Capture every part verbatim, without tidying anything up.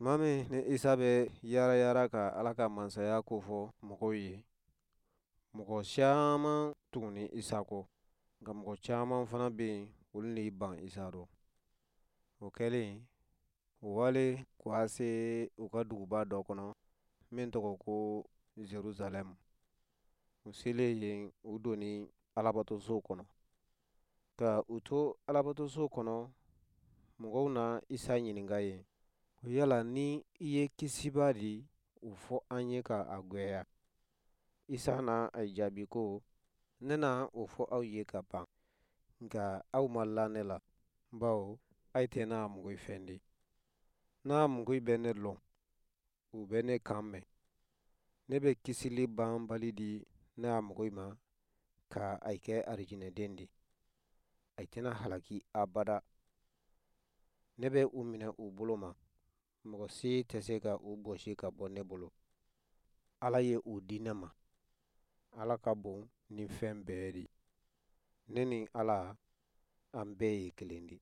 Tuma min ni Isa bɛ yaara yaara ka Ala ka mansaya kofɔ mɔgɔw ye, mɔgɔ caman tuguni Isa kɔ, nka mɔgɔ caman fana bɛ yen, olu n'i ban Isa rɔ. O kɛlen, u wale k'a se u ka duguba dɔ kɔnɔ min tɔgɔ ko Jerusalɛm. U selen yen, u donni Alabatoso kɔnɔ. Ka u to Alabatoso kɔnɔ, mɔgɔw na Isa ɲininka yen ko yala ni i ye Kisibaa di, o fɔ an ye ka a gwɛya. Isa na a jaabi ko, ne na o fɔ aw ye ka ban, nka aw ma la ne la, bawo aw tɛ ne mɔgɔ fɛn di. N'a mɔgɔ bɛ ne lɔn, u bɛ ne kan mɛn. Ne bɛ kisili banbali di ne a mɔgɔ ma ka a kɛ arijinɛden di. A tɛna halaki abada. Ne bɛ u minɛ u bolo ma, mɔgɔ si tɛ se ka u bɔsi ka bɔ ne bolo. Ala ye u di ne ma. Ala ka bon ni fɛn bɛɛ di. Ne ni Ala, an bɛɛ ye kelen di.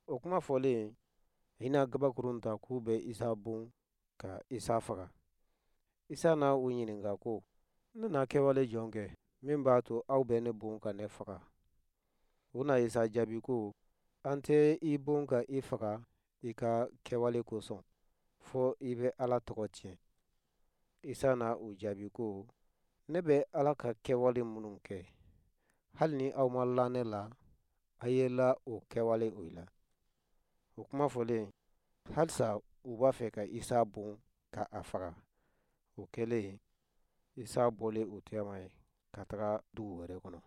O kuma fɔlen, i na gabakurun ta k'u bɛ Isa bon ka Isa faga. Isa na u ɲininka ko, ne na kɛwale jɔn kɛ min b'a to aw bɛ ne bon ka ne faga? U na Isa jaabi ko, an tɛ i bon ka i faga i ka kɛwale kosɔn, fɔ i bɛ Ala tɔgɔ tiɲɛ. Isa na u jaabi ko, ne bɛ Ala ka kɛwale minnu kɛ, hali ni aw ma la ne la, a ye la o kɛwale o la. O kuma fɔlen, halisa u b'a fɛ ka Isa bon ka a faga. O kɛlen, Isa bɔlen u tɛma ye ka taga dugu wɛrɛ kɔnɔ.